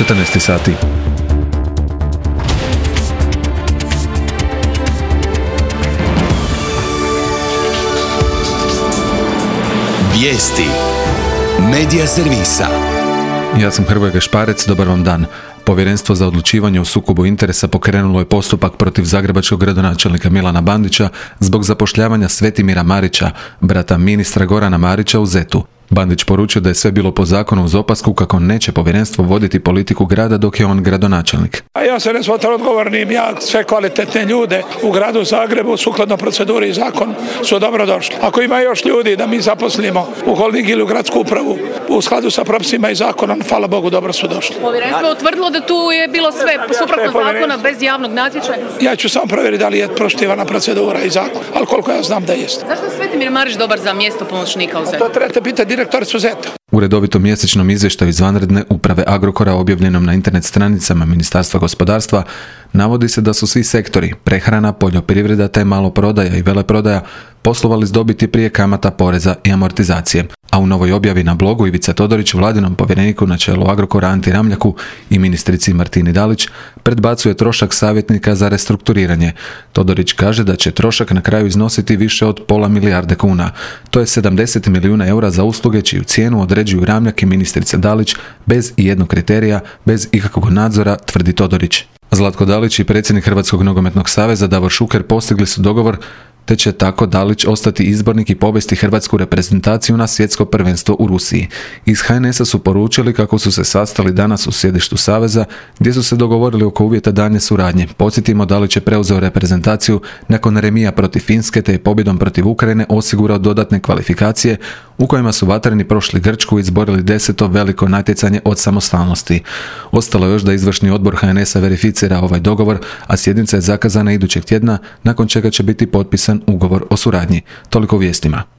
14 sati. Vijesti Medija servisa. Ja sam Hrvoje Gašparec, dobar vam dan. Povjerenstvo za odlučivanje o sukobu interesa pokrenulo je postupak protiv zagrebačkog gradonačelnika Milana Bandića zbog zapošljavanja Svetimira Marića, brata ministra Gorana Marića u ZET-u. Bandić poručio da je sve bilo po zakonu uz opasku kako neće povjerenstvo voditi politiku grada dok je on gradonačelnik. A ja se ne smatram odgovornim, ja sve kvalitetne ljude u gradu Zagrebu sukladno proceduri i zakon su dobro došli. Ako ima još ljudi da mi zaposlimo u holding ili u gradsku upravu u skladu sa propisima i zakonom, hvala Bogu, dobro su došli. Povjerenstvo je utvrdilo da tu je bilo sve suprotno zakona bez javnog natječaja. Ja ću samo provjeriti da li je poštivana procedura i zakon, ali koliko ja znam da jeste. Zašto je Svetimir Marić dobar za mjesto pomoćnika u ZET-u? To trebate pitati direktoricu ZET-a. U redovitom mjesečnom izvještaju izvanredne uprave Agrokora objavljenom na internet stranicama Ministarstva gospodarstva navodi se da su svi sektori, prehrana, poljoprivreda te maloprodaja i veleprodaja, poslovali s dobiti prije kamata, poreza i amortizacije. A u novoj objavi na blogu Ivica Todorić, vladinom povjereniku na čelu Agrokora Anti Ramljaku i ministrici Martini Dalić, predbacuje trošak savjetnika za restrukturiranje. Todorić kaže da će trošak na kraju iznositi više od pola milijarde kuna. To je 70 milijuna eura za usluge čiju cijenu određuju Ramljak i ministrica Dalić bez ijednog kriterija, bez ikakvog nadzora, tvrdi Todorić. Zlatko Dalić i predsjednik Hrvatskog nogometnog saveza Davor Šuker postigli su dogovor te će tako Dalić ostati izbornik i povesti hrvatsku reprezentaciju na svjetsko prvenstvo u Rusiji. Iz HNS-a su poručili kako su se sastali danas u sjedištu saveza gdje su se dogovorili oko uvjeta daljnje suradnje. Podsjetimo, Dalić je preuzeo reprezentaciju nakon remija protiv Finske te je pobjedom protiv Ukrajine osigurao dodatne kvalifikacije u kojima su vatreni prošli Grčku i izborili 10. veliko natjecanje od samostalnosti. Ostalo je još da izvršni odbor HNS-a verificira ovaj dogovor, a sjednica je zakazana idućeg tjedna, nakon čega će biti potpisan ugovor o suradnji. Toliko u vijestima.